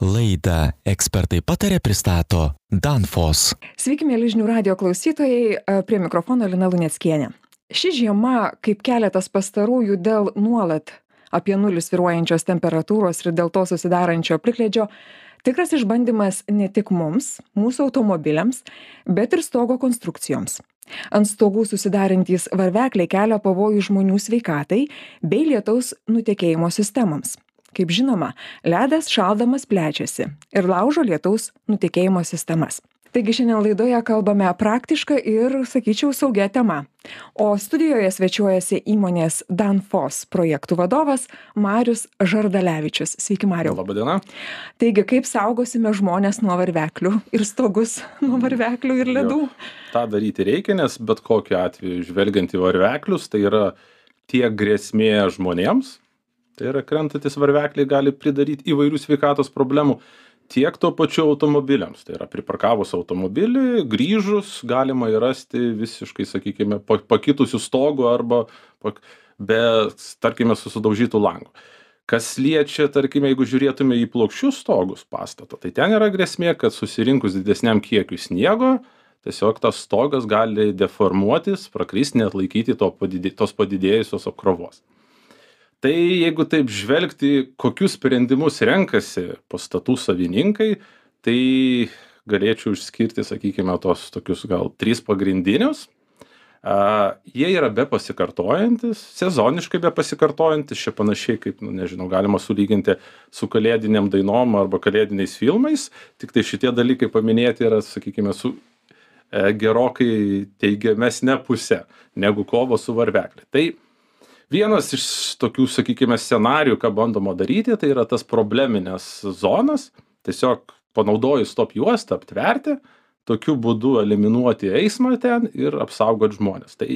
Laidą Ekspertai patarė pristato Danfoss. Sveiki, mėly žinių radijo klausytojai, prie mikrofono Lina Luneckienė. Ši žiema, kaip keletas pastarųjų dėl nuolat apie nulį svyruojančios temperatūros ir dėl to susidarančio plikledžio, tikras išbandymas ne tik mums, mūsų automobiliams, bet ir stogo konstrukcijoms. Ant stogų susidarantys varvekliai kelia pavojų žmonių sveikatai bei lietaus nutekėjimo sistemoms. Kaip žinoma, ledas šaldamas plečiasi ir laužo lietaus nutekėjimo sistemas. Taigi šiandien laidoje kalbame praktišką ir, sakyčiau, saugią temą. O studijoje svečiuojasi įmonės Danfoss projektų vadovas Marius Žardalevičius. Sveiki, Mariau. Labadiena. Taigi, kaip saugosime žmones nuo varveklių ir stogus nuo varveklių ir ledų? Ta daryti reikia, nes bet kokiu atveju žvelgiant į varveklius, tai yra tiek grėsmė žmonėms, tai yra krentantis varvekliai gali pridaryti įvairių sveikatos problemų, tiek tuo pačiu automobiliams. Tai yra priparkavus automobilį, grįžus galima įrasti visiškai, sakykime, pakitusių stogų arba be, tarkime, susidaužytų langų. Kas liečia, tarkime, jeigu žiūrėtume į plokščius stogus pastato, tai ten yra grėsmė, kad susirinkus didesniam kiekiui sniego, tiesiog tas stogas gali deformuotis, prakristi, neatlaikyti tos padidėjusios apkrovos. Tai jeigu taip žvelgti, kokius sprendimus renkasi pastatų savininkai, tai galėčiau išskirti, sakykime, tos tokius gal 3 pagrindinius. Jie yra be pasikartojantis, sezoniškai be pasikartojantis, čia panašiai kaip, nežinau, galima sulyginti su kalėdiniam dainom arba kalėdiniais filmais, tik tai šitie dalykai paminėti yra, sakykime, su gerokai teigiamesnė pusė negu kovo su varvekliu. Tai vienas iš tokių, sakykime, scenarijų, ką bandoma daryti, tai yra tas probleminės zonas, tiesiog panaudojus stop juostą aptverti, tokiu būdu eliminuoti eismą ten ir apsaugoti žmonės. Tai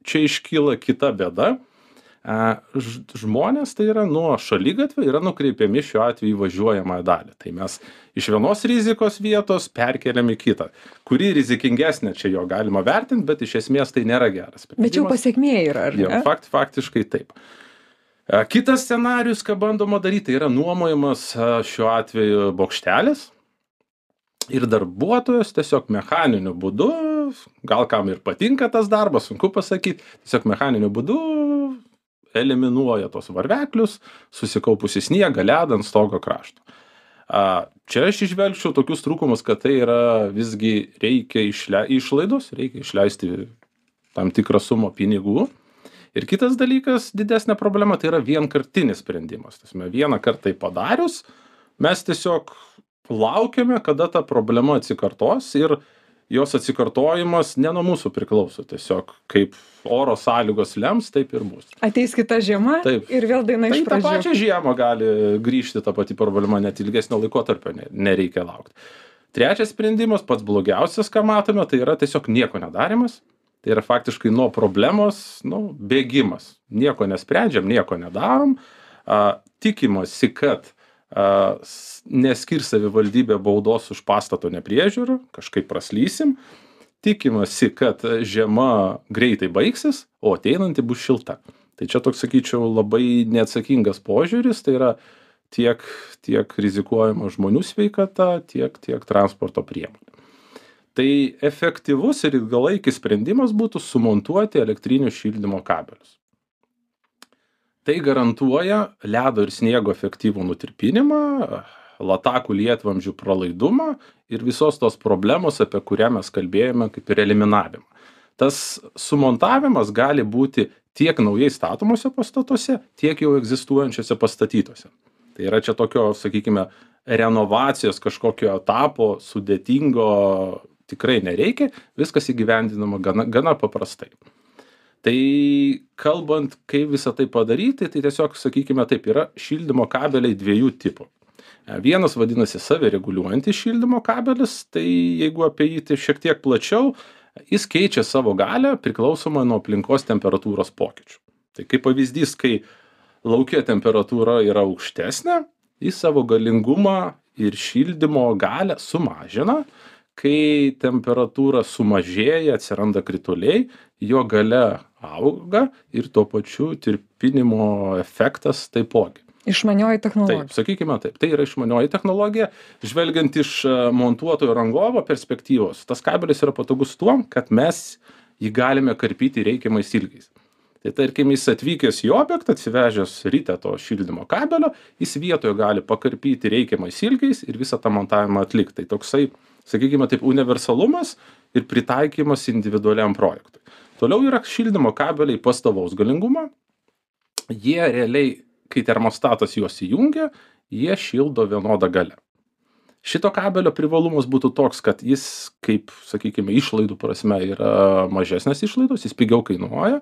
čia iškyla kita bėda. Žmonės tai yra nuo šaligatvio yra nukreipiami šiuo atveju į važiuojamąją dalį. Tai mes iš vienos rizikos vietos perkeliam į kitą. Kuri rizikingesnė čia jo galima vertinti, bet iš esmės tai nėra geras sprendimas. Bet jau pasekmė yra, ar ne? Faktiškai taip. Kitas scenarius, ką bandoma daryti, tai yra nuomojamas šiuo atveju bokštelis ir darbuotojas tiesiog mechaniniu būdu, gal kam ir patinka tas darbas, sunku pasakyti, tiesiog mechaniniu būdu eliminuoja tos varveklius, susikaupusi sniegą, ledą ant stogo krašto. Čia aš išvelgčiau tokius trūkumus, kad tai yra visgi reikia išlaidos, reikia išleisti tam tikrą sumą pinigų. Ir kitas dalykas, didesnė problema, tai yra vienkartinis sprendimas. Vieną kartą padarius, mes tiesiog laukiame, kada ta problema atsikartos ir jos atsikartojimas ne nuo mūsų priklauso. Tiesiog kaip oro sąlygos lems, taip ir bus. Ateis kita žiema taip. Ir vėl daina iš pradžių. Tai tą pačią žiemą gali grįžti ta pati problema, net ilgesnio laikotarpio nereikia laukti. Trečias sprendimas, pats blogiausias, ką matome, tai yra tiesiog nieko nedarimas. Tai yra faktiškai nuo problemos bėgimas. Nieko nesprendžiam, nieko nedarom. Tikimasi, kad neskirs savivaldybė baudos už pastato nepriežiūrą, kažkaip praslysim. Tikimasi, kad žiema greitai baigsis, o ateinanti bus šilta. Tai čia toks, sakyčiau, labai neatsakingas požiūris, tai yra tiek rizikuojama žmonių sveikata, tiek transporto priemonių. Tai efektyvus ir ilgalaikis sprendimas būtų sumontuoti elektrinių šildymo kabelius. Tai garantuoja ledo ir sniego efektyvų nutirpinimą, latakų lietvamzdžių pralaidumą ir visos tos problemos, apie kurią mes kalbėjome, kaip ir eliminavimą. Tas sumontavimas gali būti tiek naujai statomose pastatuose, tiek jau egzistuojančiose pastatytose. Tai yra čia tokio, sakykime, renovacijos kažkokio etapo sudėtingo tikrai nereikia, viskas įgyvendinama gana paprastai. Tai kalbant, kaip visą tai padaryti, tai tiesiog, sakykime, taip yra šildymo kabeliai 2 tipų. Vienas vadinasi savireguliuojantis šildymo kabelis, tai jeigu apie jį tai šiek tiek plačiau, jis keičia savo galią priklausomai nuo aplinkos temperatūros pokyčių. Tai kaip pavyzdys, kai lauke temperatūra yra aukštesnė, jis savo galingumą ir šildymo galią sumažina. Kai temperatūra sumažėja, atsiranda krituliai, jo galia auga ir tuo pačiu tirpinimo efektas taipogi. Išmanioji technologija. Taip, sakykime taip, tai yra išmanioji technologija. Žvelgiant iš montuotojo rangovo perspektyvos, tas kabelis yra patogus tuom, kad mes jį galime karpyti reikiamais ilgiais. Tai tarkim, jis atvykęs į objektą, atsivežęs ryte to šildymo kabelio, jis vietoje gali pakarpyti reikiamais ilgiais ir visą tą montavimą atlikti. Tai toksai, sakykime taip, universalumas ir pritaikymas individualiam projektui. Toliau yra šildymo kabeliai pastovaus galingumo. Jie realiai, kai termostatas juos įjungia, jie šildo vienodą galią. Šito kabelio privalumas būtų toks, kad jis, kaip, sakykime, išlaidų prasme yra mažesnės išlaidos, jis pigiau kainuoja.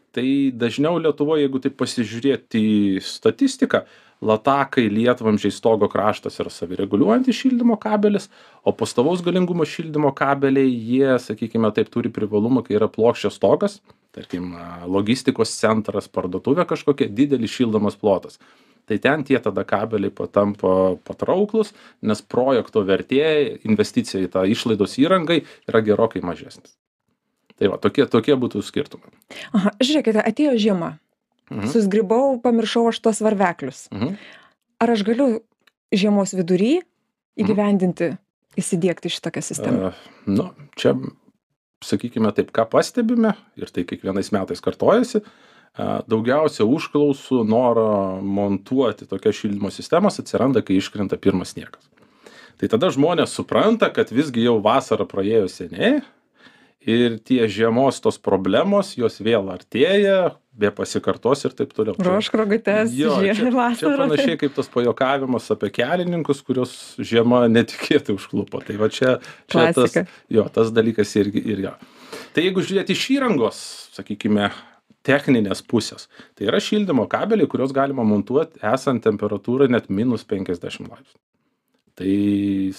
Tai dažniau Lietuvoje, jeigu taip pasižiūrėti į statistiką, latakai, lietvamzdžiai, stogo kraštas yra savireguliuojantis šildymo kabelis, o pastovaus galingumo šildymo kabeliai, jie, sakykime, taip turi privalumą, kai yra plokščias stogas, tarkim, logistikos centras, parduotuvė kažkokia, didelis šildomas plotas. Tai ten tie tada kabeliai patampa patrauklus, nes projekto vertė, investicija į tą išlaidos įrangai yra gerokai mažesnis. Tai va, tokie būtų skirtumai. Aha, žiūrėkite, atėjo žiema. Susgribau, pamiršau aš tos varveklius. Ar aš galiu žiemos vidury įgyvendinti, įsidiegti šitokią sistemą? Čia, sakykime taip, ką pastebime, ir tai kiekvienais metais kartojasi, daugiausia užklausų noro montuoti tokias šildymo sistemas atsiranda, kai iškrenta pirmas sniegas. Tai tada žmonės supranta, kad visgi jau vasara praėjo seniai ir tie žiemos tos problemos, jos vėl artėja, be pasikartos ir taip toliau. Ruošk rogutes, vasarą. Čia panašiai kaip tas pajuokavimas apie kelininkus, kurios žiema netikėtai užklupo. Tai va čia tas dalykas irgi jo. Tai jeigu žiūrėti iš įrangos, sakykime, techninės pusės, tai yra šildymo kabeliai, kurios galima montuoti esant temperatūrai net minus 50 laipsnių. Tai,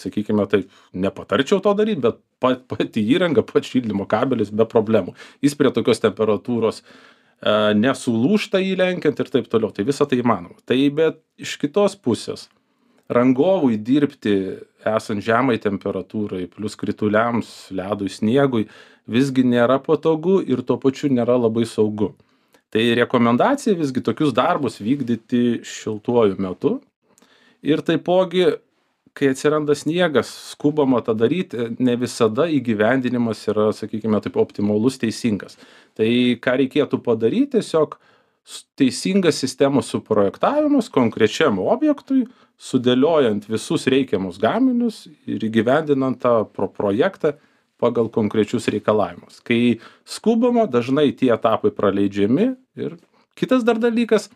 sakykime, taip, nepatarčiau to daryti, bet pati įranga, pats šildymo kabelis be problemų. Jis prie tokios temperatūros nesulūžta įlenkiant ir taip toliau. Tai visa tai įmanoma. Tai bet iš kitos pusės, rangovui dirbti esant žemai temperatūrai, plus krituliams, ledui, sniegui, visgi nėra patogu ir tuo pačiu nėra labai saugu. Tai rekomendacija visgi tokius darbus vykdyti šiltuoju metu. Ir taipogi, kai atsiranda sniegas, skubama tą daryti, ne visada įgyvendinimas yra, sakykime, taip optimalus, teisingas. Tai ką reikėtų padaryti, tiesiog teisingas sistemos suprojektavimas konkrečiam objektui, sudėliojant visus reikiamus gaminius ir įgyvendinant tą projektą pagal konkrečius reikalavimus. Kai skubama, dažnai tie etapai praleidžiami ir kitas dar dalykas,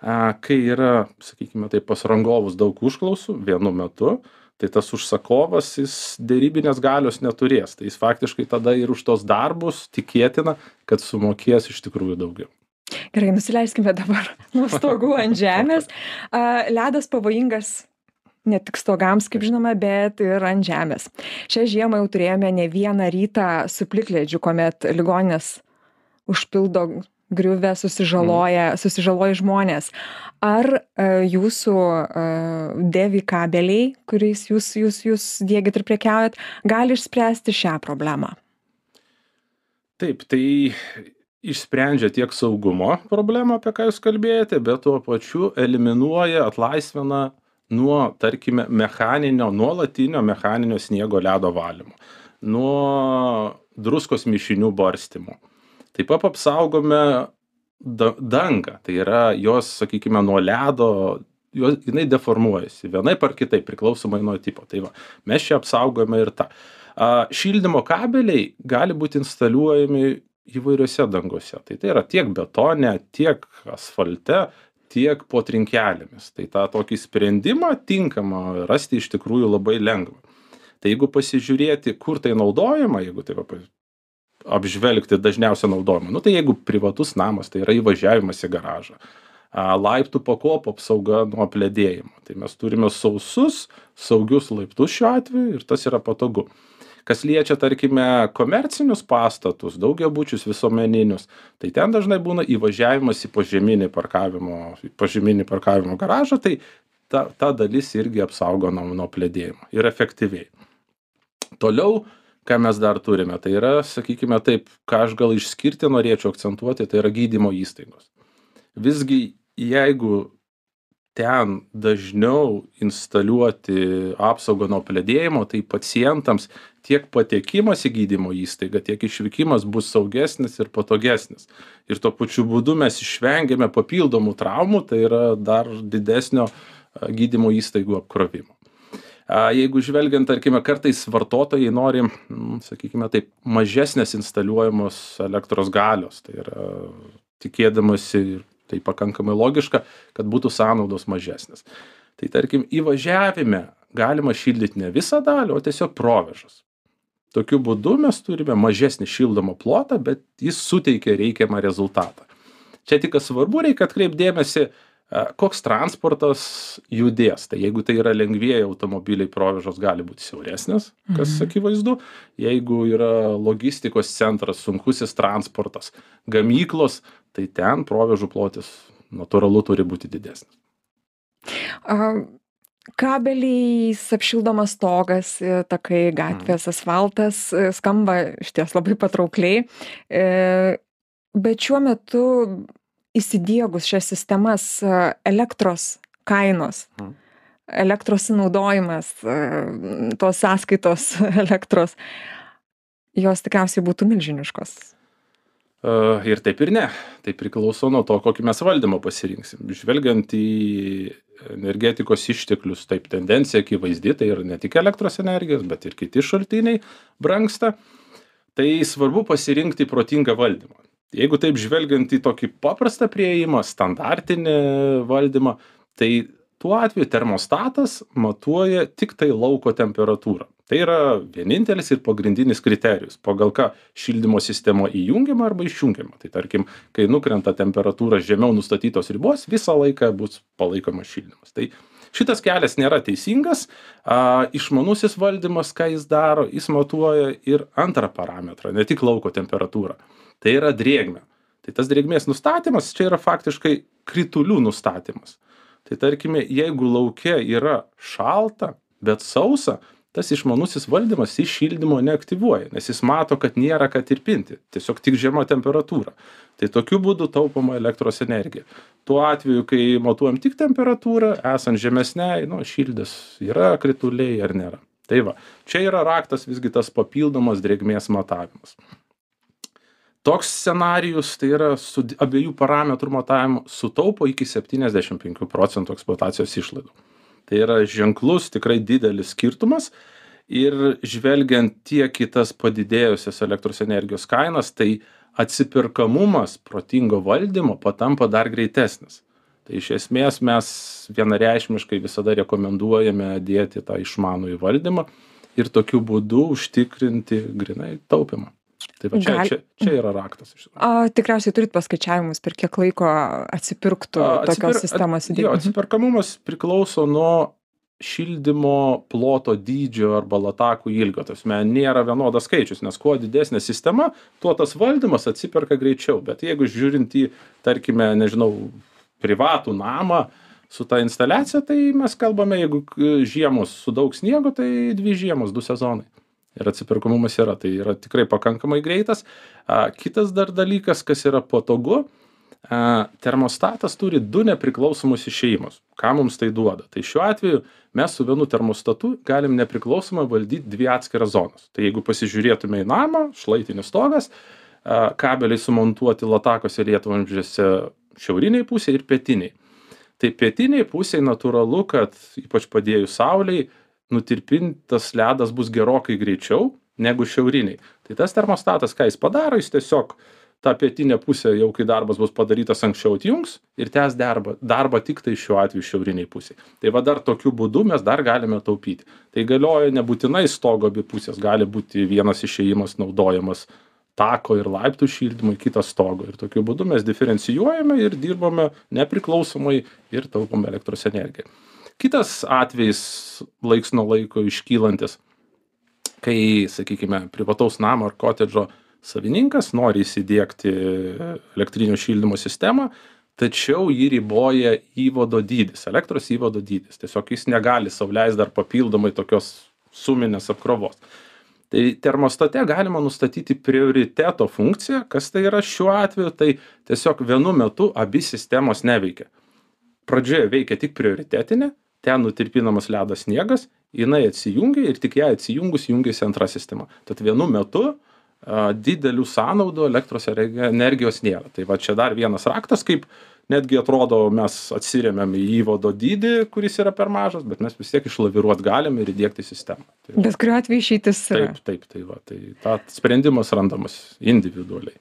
kai yra, sakykime, tai pas rangovus daug užklausų vienu metu, tai tas užsakovas, jis derybinės galios neturės. Tai jis faktiškai tada ir už tos darbus tikėtina, kad sumokės iš tikrųjų daugiau. Gerai, nusileiskime dabar nuo stogų ant žemės. Ledas pavojingas ne tik stogams, kaip žinoma, bet ir ant žemės. Šią žiemą jau turėjome ne vieną rytą su plikledžiu, kuomet ligoninės užpildo griuvę, susižaloja žmonės. Ar jūsų DEVI kabeliai, kuriais jūs diegit ir prekiaujat, gali išspręsti šią problemą? Taip, tai išsprendžia tiek saugumo problemą, apie ką jūs kalbėjote, bet tuo pačiu eliminuoja, atlaisvina nuo, tarkime, nuolatinio mechaninio sniego ledo valymo, nuo druskos mišinių barstymo. Taip pat apsaugome dangą, tai yra jos, sakykime, nuo ledo, jinai deformuojasi, vienaip ar kitaip, priklausomai nuo tipo. Tai va, mes čia apsaugome ir tą. Šildymo kabeliai gali būti instaliuojami įvairiose dangose. Tai yra tiek betone, tiek asfalte, tiek po trinkelėmis. Tai tą tokį sprendimą tinkamą rasti iš tikrųjų labai lengva. Tai jeigu pasižiūrėti, kur tai naudojama, jeigu tai apžvelgti dažniausią naudojimą, tai jeigu privatus namas, tai yra įvažiavimas į garažą, laiptų pakopų apsauga nuo apledėjimo. Tai mes turime saugius laiptus šiuo atveju ir tas yra patogu. Kas liečia, tarkime, komercinius pastatus, daugiabučius, visuomeninius, tai ten dažnai būna įvažiavimas į požeminį parkavimo garažą, tai ta dalis irgi apsaugo nuo apledėjimo ir efektyviai. Toliau, ką mes dar turime, tai yra, sakykime taip, ką aš gal išskirti norėčiau akcentuoti, tai yra gydymo įstaigos. Visgi, jeigu ten dažniau instaliuoti apsaugą nuo apledėjimo, tai pacientams tiek patekimas į gydymo įstaigą, tiek išvykimas bus saugesnis ir patogesnis. Ir tuo pačiu būdu mes išvengiame papildomų traumų, tai yra dar didesnio gydymo įstaigų apkrovimo. Jeigu žvelgiant, tarkime, kartais vartotojai nori, sakykime taip, mažesnės instaliuojamos elektros galios, tai yra tikėdamasi, tai pakankamai logiška, kad būtų sąnaudos mažesnės. Tai tarkim, įvažiavime galima šildyti ne visą dalį, o tiesiog provėžas. Tokiu būdu mes turime mažesnį šildomą plotą, bet jis suteikia reikiamą rezultatą. Čia tik svarbu, reikia atkreipti dėmesį, koks transportas judės. Tai jeigu tai yra lengvieji automobiliai, provėžos gali būti siauresnės, kas akivaizdu. Jeigu yra logistikos centras, sunkusis transportas, gamyklos, tai ten provėžų plotis natūralu turi būti didesnis. Kabeliais apšildomas stogas, takai, gatvės, asfaltas skamba išties labai patraukliai. Bet šiuo metu įsidiegus šias sistemas elektros kainos, elektros sunaudojimas, tos sąskaitos elektros, jos tikriausiai būtų milžiniškos. Ir taip ir ne. Tai priklauso nuo to, kokį mes valdymą pasirinksim. Žvelgiant į energetikos išteklius, taip tendencija akivaizdi, tai yra ne tik elektros energijos, bet ir kiti šaltiniai brangsta. Tai svarbu pasirinkti protingą valdymą. Jeigu taip žvelgiant į tokį paprastą priėjimą, standartinį valdymą, tai tuo atveju termostatas matuoja tik tai lauko temperatūrą. Tai yra vienintelis ir pagrindinis kriterijus, pagal ką šildymo sistema įjungiama arba išjungiama. Tai tarkim, kai nukrenta temperatūra žemiau nustatytos ribos, visą laiką bus palaikomas šildymas. Tai šitas kelias nėra teisingas. Išmanusis valdymas, ką jis daro, jis matuoja ir antrą parametrą, ne tik lauko temperatūrą. Tai yra drėgmė. Tai tas drėgmės nustatymas čia yra faktiškai kritulių nustatymas. Tai tarkime, jeigu lauke yra šalta, bet sausa, tas išmanusis valdymas iš šildymo neaktyvuoja, nes jis mato, kad nėra ką tirpinti, tiesiog tik žema temperatūra. Tai tokiu būdu taupoma elektros energija. Tuo atveju, kai matuojam tik temperatūrą, esant žemesniai, šildas yra krituliai ar nėra. Tai va, čia yra raktas visgi tas papildomas drėgmės matavimas. Toks scenarijus, tai yra su abiejų parametrų matavimu, sutaupo iki 75% eksploatacijos išlaidų. Tai yra ženklus, tikrai didelis skirtumas ir žvelgiant tiek į tas padidėjusias elektros energijos kainas, tai atsipirkamumas protingo valdymo patampa dar greitesnis. Tai iš esmės mes vienareikšmiškai visada rekomenduojame dėti tą išmanųjį valdymą ir tokiu būdu užtikrinti grynai taupimą. Tai va, čia yra raktas. Tikriausiai turit paskaičiavimus, per kiek laiko atsipirktų tokios sistemos įdėjimas? Jo, atsiperkamumas priklauso nuo šildymo ploto dydžio arba latakų ilgio. Tasme, nėra vienodas skaičius, nes kuo didesnė sistema, tuo tas valdymas atsiperka greičiau. Bet jeigu žiūrint į, tarkime, privatų namą su ta instaliacija, tai mes kalbame, jeigu žiemos su daug sniego, tai 2 žiemos, 2 sezonai. Ir atsiperkamumas yra, tai yra tikrai pakankamai greitas. Kitas dar dalykas, kas yra patogu, termostatas turi 2 nepriklausomus išėjimus. Ką mums tai duoda? Tai šiuo atveju mes su vienu termostatu galim nepriklausomai valdyti 2 atskiras zonas. Tai jeigu pasižiūrėtume į namą, šlaitinis stogas, kabeliai sumontuoti latakose lietvamzdžiuose šiauriniai pusėje ir pietiniai. Tai pietiniai pusėje natūralu, kad ypač padėjus saulei, nutirpintas ledas bus gerokai greičiau negu šiauriniai. Tai tas termostatas, ką jis padaro, jis tiesiog tą pietinę pusę, jau kai darbas bus padarytas anksčiau, atjungs ir tęs darbą tik tai šiuo atveju šiauriniai pusėje. Tai va dar tokiu būdu mes dar galime taupyti. Tai galioja nebūtinai stogo abi pusės, gali būti vienas išėjimas naudojamas tako ir laiptų šildymui, kitas stogo. Ir tokiu būdu mes diferencijuojame ir dirbame nepriklausomai ir taupome elektros energiją. Kitas atvejis laiks nuo laiko iškylantis, kai, sakykime, privataus namo ar kotedžo savininkas nori įsidiegti elektrinio šildymo sistemą, tačiau jį riboja įvado dydis, elektros įvado dydis. Tiesiog jis negali sau leisti dar papildomai tokios suminės apkrovos. Tai termostate galima nustatyti prioriteto funkciją, kas tai yra šiuo atveju, tai tiesiog vienu metu abi sistemos neveikia. pradžioje veikia tik prioritetinė, ten nutirpinamas ledas sniegas, jinai atsijungia ir tik ją atsijungus jungiasi antra sistema. Tad vienu metu didelių sąnaudų elektros energijos nėra. Tai va čia dar vienas raktas, kaip netgi atrodo mes atsiremiam į įvado dydį, kuris yra per mažas, bet mes vis tiek išlaviruot galim ir įdiegti sistemą. Tai, bet kuriuo atveju išeitis yra. Taip, tai ta sprendimas randamas individualiai.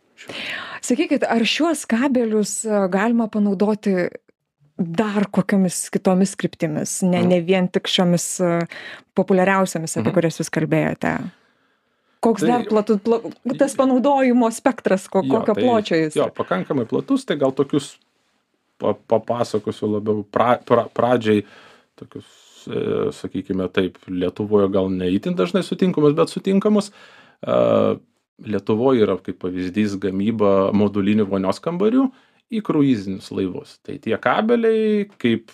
Sakykit, ar šiuos kabelius galima panaudoti dar kokiamis kitomis kryptimis, ne vien tik šiomis populiariausiamis, apie kurias jūs kalbėjote? Koks dar tas panaudojimo spektras, kokio pločio jis? Jo, pakankamai platus, tai gal tokius papasakosiu labiau pradžiai, tokius, sakykime taip, Lietuvoje gal ne itin dažnai sutinkamus, bet sutinkamus. Lietuvoje yra kaip pavyzdys gamyba modulinių vonios kambarių į kruizinius laivus. Tai tie kabeliai, kaip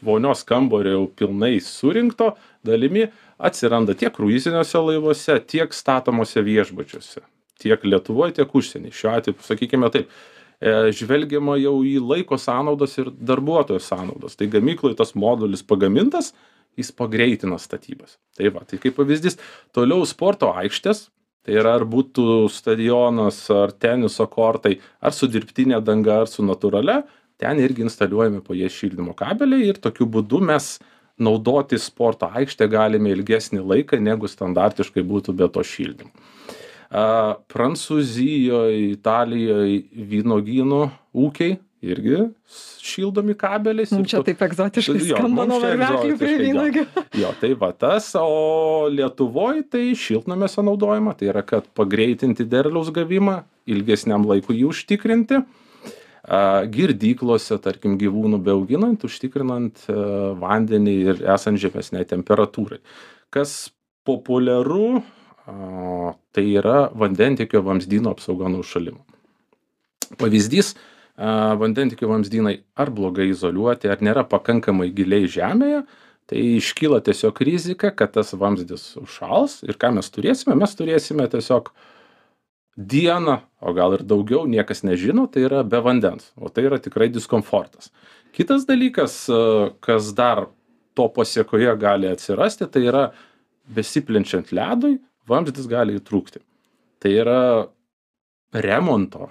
vonios kambario jau pilnai surinkto dalimi, atsiranda tiek kruiziniuose laivuose, tiek statomose viešbučiuose. Tiek Lietuvoje, tiek užsienį. Šiuo atveju, sakykime taip, žvelgiama jau į laiko sąnaudas ir darbuotojų sąnaudas. Tai gamykloje tas modulis pagamintas, jis pagreitina statybas. Tai va, tai kaip pavyzdys, toliau sporto aikštės, tai yra ar būtų stadionas, ar teniso kortai, ar su dirbtinė danga, ar su natūralia, ten irgi instaliuojami po jie šildymo kabeliai ir tokiu būdu mes naudoti sporto aikštę galime ilgesnį laiką, negu standartiškai būtų be to šildymo. Prancūzijoje, Italijoje vynuogynų ūkiai irgi šildomi kabeliais. Čia taip egzotiškai skamba nuo varveklių prie vynuogių. Jo, tai va tas, o Lietuvoje tai šiltnamiuose naudojama, tai yra, kad pagreitinti derliaus gavimą, ilgesniam laikui jį užtikrinti. Girdyklose, tarkim, gyvūnų beauginant, užtikrinant vandenį ir esant žemesnei temperatūrai. Kas populiaru, tai yra vandentiekio vamzdyno apsauga nuo užšalimo. Pavyzdys, vandentiekio vamzdynai ar blogai izoliuoti, ar nėra pakankamai giliai žemėje, tai iškyla tiesiog rizika, kad tas vamzdis užšals ir ką mes turėsime tiesiog dieną, o gal ir daugiau, niekas nežino, tai yra be vandens, o tai yra tikrai diskomfortas. Kitas dalykas, kas dar to pasiekoje gali atsirasti, tai yra besiplenčiant ledui, vamzdis gali įtrūkti. Tai yra remonto,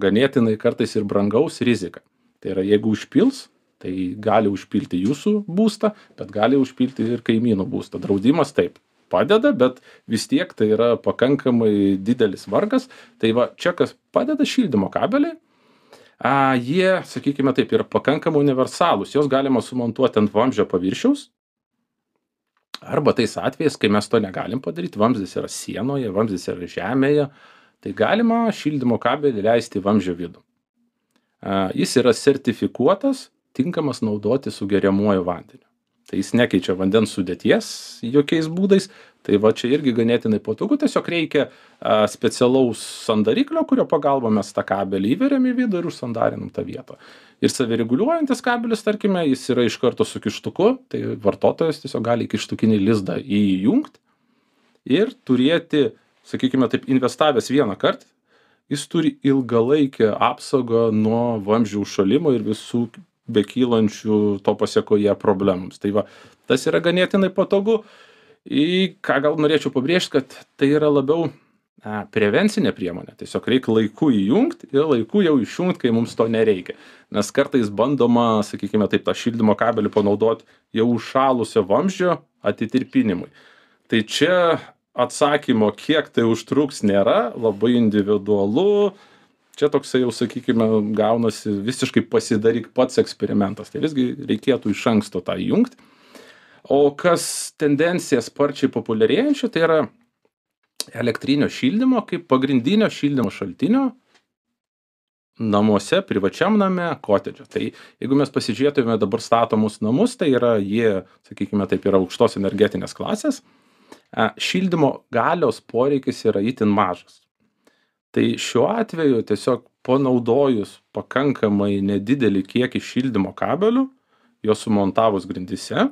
ganėtinai kartais ir brangaus rizika. Tai yra, jeigu užpils, tai gali užpilti jūsų būstą, bet gali užpilti ir kaimynų būstą. Draudimas taip padeda, bet vis tiek tai yra pakankamai didelis vargas. Tai va, čia kas padeda šildymo kabeliai, jie, sakykime taip, yra pakankamai universalūs. Jos galima sumontuoti ant vamzdžio paviršiaus, arba tais atvejais, kai mes to negalim padaryti, vamzdis yra sienoje, vamzdis yra žemėje, tai galima šildymo kabelį leisti į vamzdžio vidų. Jis yra sertifikuotas, tinkamas naudoti su geriamuoju vandeniu. Tai jis nekeičia vandens sudėties jokiais būdais, tai va čia irgi ganėtinai patogu, tiesiog reikia specialaus sandariklio, kurio pagalba mes tą kabelį įveriam į vidų ir užsandarinam tą vietą. Ir savireguliuojantis kabelis, tarkime, jis yra iš karto su kištuku, tai vartotojas tiesiog gali kištukinį lizdą įjungti ir turėti, sakykime taip, investavęs vieną kartą, jis turi ilgalaikę apsaugą nuo vamzdžių užšalimo ir visų bekylančių to pasiekoje problemams. Tai va, tas yra ganėtinai patogu. Į ką gal norėčiau pabrėžti, kad tai yra labiau prevencinė priemonė. Tiesiog reikia laiku įjungti ir laiku jau išjungti, kai mums to nereikia. Nes kartais bandoma, sakykime taip, tą šildymo kabelį panaudoti jau užšalusio vamzdžio atitirpinimui. Tai čia atsakymo, kiek tai užtruks, nėra, labai individualu. Čia toksai jau, sakykime, gaunasi visiškai pasidaryk pats eksperimentas. Tai visgi reikėtų iš anksto tą įjungti. O kas tendencija sparčiai populiarėjančia, tai yra elektrinio šildymo kaip pagrindinio šildymo šaltinio namuose, privačiam name, kotedže. Tai jeigu mes pasižiūrėtume dabar statomus namus, tai yra jie, sakykime, taip yra aukštos energetinės klasės, šildymo galios poreikis yra itin mažas. Tai šiuo atveju tiesiog panaudojus pakankamai nedidelį kiekį šildymo kabelių, juos sumontavus grindyse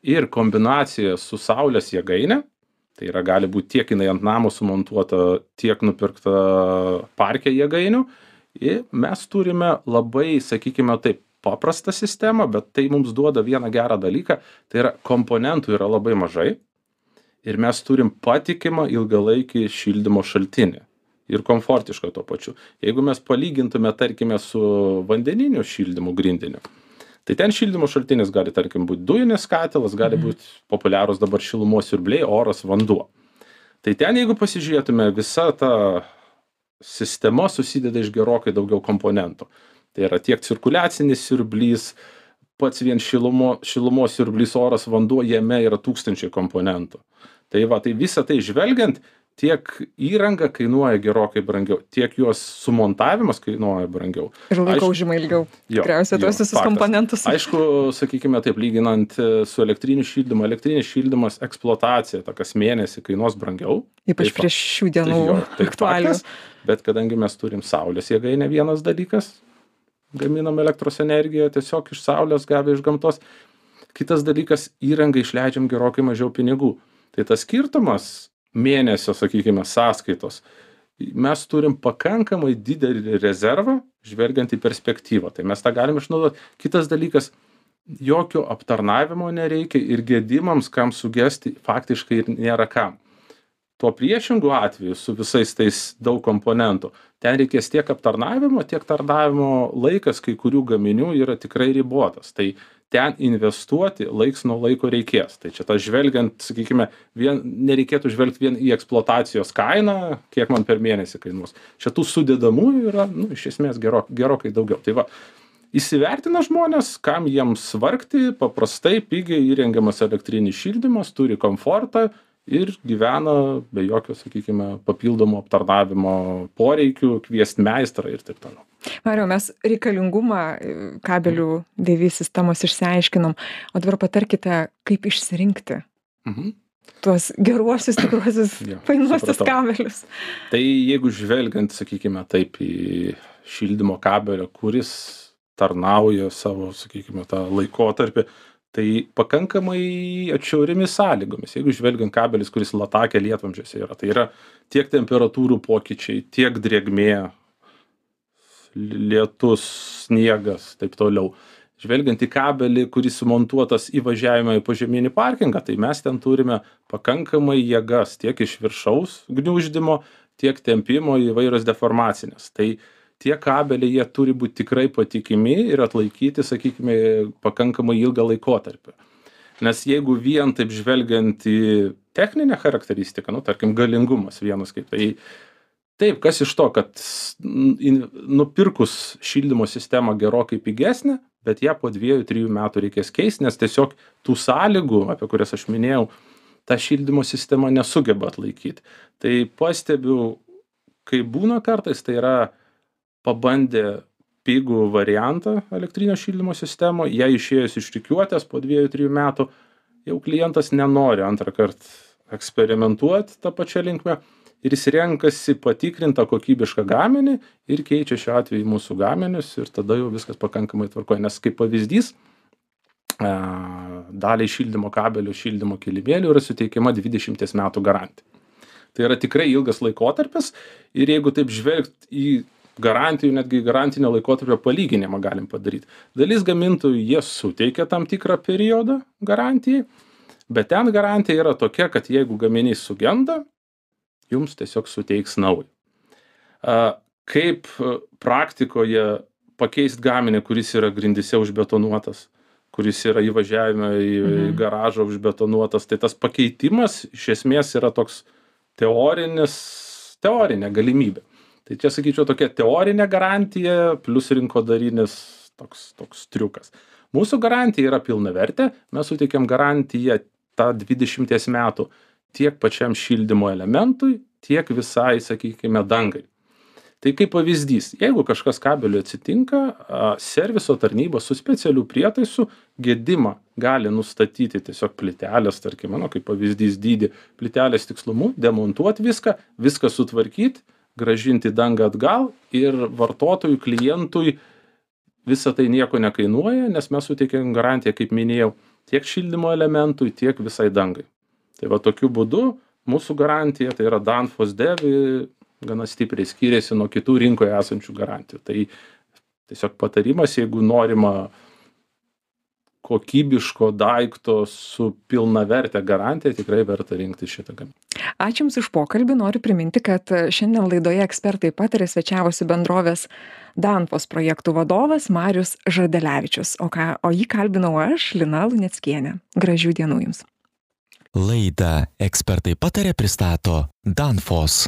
ir kombinacija su saulės jėgaine, tai yra gali būti tiek jinai ant namo sumontuota, tiek nupirkta parke jėgainių, ir mes turime labai, sakykime taip, paprastą sistemą, bet tai mums duoda vieną gerą dalyką, tai yra komponentų yra labai mažai ir mes turim patikimą ilgalaikį šildymo šaltinį ir komfortišką tuo pačiu. Jeigu mes palygintume, tarkime, su vandeniniu šildymu grindiniu, tai ten šildymo šaltinis gali, tarkim, būti dujinis katilas, gali būti populiarūs dabar šilumos siurbliai, oras, vanduo. Tai ten, jeigu pasižiūrėtume, visa ta sistema susideda iš gerokai daugiau komponentų. Tai yra tiek cirkuliacinis siurblys, pats vien šilumos siurblys, oras, vanduo, jame yra tūkstančiai komponentų. Tai va, tai visą tai žvelgiant, tiek įranga kainuoja gerokai brangiau, tiek jos sumontavimas kainuoja brangiau. Ir laiko užima ilgiau. Tikriausiai tuos visus komponentus. Aišku, sakykime taip, lyginant su elektriniu šildymu, elektrinis šildymas eksploatacija, ta kas mėnesį kainuos brangiau. Ypač prieš šių dienų aktualijų. Bet kadangi mes turim saulės jėgainę, vienas dalykas, gaminam elektros energiją tiesiog iš saulės, gavę iš gamtos. Kitas dalykas, įrangai išleidžiam gerokai mažiau pinigų. Tai tas skirtumas mėnesio, sakykime, sąskaitos, mes turim pakankamai didelį rezervą, žvelgiant į perspektyvą. Tai mes tą galim išnaudoti. Kitas dalykas, jokio aptarnavimo nereikia ir gedimams, kam sugesti, faktiškai nėra kam. Tuo priešingu atveju su visais tais daug komponentų, ten reikės tiek aptarnavimo, tiek tarnavimo laikas kai kurių gaminių yra tikrai ribotas. Tai ten investuoti laiks nuo laiko reikės. Tai čia tas žvelgiant, sakykime, nereikėtų žvelgti vien į eksploatacijos kainą, kiek man per mėnesį kainuos. Čia tų sudedamųjų yra, iš esmės gerokai daugiau. Tai va, įsivertina žmonės, kam jiems vargti, paprastai pigiai įrengiamas elektrinis šildymas, turi komfortą ir gyvena be jokio, sakykime, papildomo aptarnavimo poreikių, kviesti meistrą ir taip toliau. Mariau, mes reikalingumą kabelių DV sistemos išsiaiškinom, o dabar patarkite, kaip išsirinkti tuos geruosius, tikruosius, fainuosius kabelius. Tai jeigu žvelgiant, sakykime, taip į šildymo kabelio, kuris tarnauja savo, sakykime, tą laikotarpį, tai pakankamai atšiauriomis sąlygomis. Jeigu žvelgiant kabelis, kuris latakė lietvamzdžiuose yra, tai yra tiek temperatūrų pokyčiai, tiek drėgmė, lietus, sniegas, taip toliau. Žvelgiant į kabelį, kuris sumontuotas įvažiavimą į požeminį parkingą, tai mes ten turime pakankamai jėgas tiek iš viršaus gniuždymo, tiek tempimo įvairios deformacinės. Tai tie kabeliai, jie turi būti tikrai patikimi ir atlaikyti, sakykime, pakankamai ilgą laikotarpį. Nes jeigu vien taip žvelgiant į techninę charakteristiką, tarkim, galingumas vienas kaip, tai taip, kas iš to, kad nupirkus šildymo sistemą gerokai pigesnę, bet ją po 2-3 metų reikės keisti, nes tiesiog tų sąlygų, apie kurias aš minėjau, ta šildymo sistema nesugeba atlaikyti. Tai pastebiu, kai būna kartais, tai yra pabandė pigų variantą elektrinio šildymo sistemo, ją išėjus iš rikiuotės po 2-3 metų, jau klientas nenori antrą kartą eksperimentuoti tą pačią linkmę ir jis renkasi patikrintą kokybišką gaminį ir keičia šiuo atveju mūsų gaminius ir tada jau viskas pakankamai tvarkoja. Nes kaip pavyzdys, daliai šildymo kabelių, šildymo kilimėlių yra suteikiama 20 metų garantija. Tai yra tikrai ilgas laikotarpis ir jeigu taip žvelgt į garantijų, netgi garantinio laikotarpio palyginimą galim padaryti. Dalis gamintojų jie suteikia tam tikrą periodą garantijai, bet ten garantija yra tokia, kad jeigu gaminys sugenda, jums tiesiog suteiks naują. Kaip praktikoje pakeisti gaminį, kuris yra grindyse užbetonuotas, kuris yra įvažiavime į garažą užbetonuotas, tai tas pakeitimas iš esmės yra toks teorinė galimybė. Tai čia, sakyčiau, tokia teorinė garantija plus rinkodarinis toks triukas. Mūsų garantija yra pilnavertė, mes suteikiam garantiją tą 20 metų tiek pačiam šildymo elementui, tiek visai, sakykime, dangai. Tai kaip pavyzdys, jeigu kažkas kabeliu atsitinka, serviso tarnyba su specialiu prietaisu gedimą gali nustatyti tiesiog plytelės, tarkime, kaip pavyzdys dydį, plytelės tikslumu, demontuoti viską sutvarkyti, grąžinti dangą atgal ir vartotojui, klientui visą tai nieko nekainuoja, nes mes suteikėm garantiją, kaip minėjau, tiek šildymo elementui, tiek visai dangai. Tai va tokiu būdu mūsų garantija, tai yra Danfoss DEV, gana stipriai skiriasi nuo kitų rinkoje esančių garantijų. Tai Tiesiog patarimas, jeigu norima kokybiško daikto su pilnavertė garantija, tikrai verta rinkti šitą gaminį. Ačiū Jums už pokalbį. Noriu priminti, kad šiandien laidoje Ekspertai pataria svečiavosi bendrovės Danfoss projektų vadovas Marius Žadelevičius, o jį kalbinau aš, Lina Luneckienė. Gražių dienų Jums. Laidą Ekspertai pataria pristato Danfoss.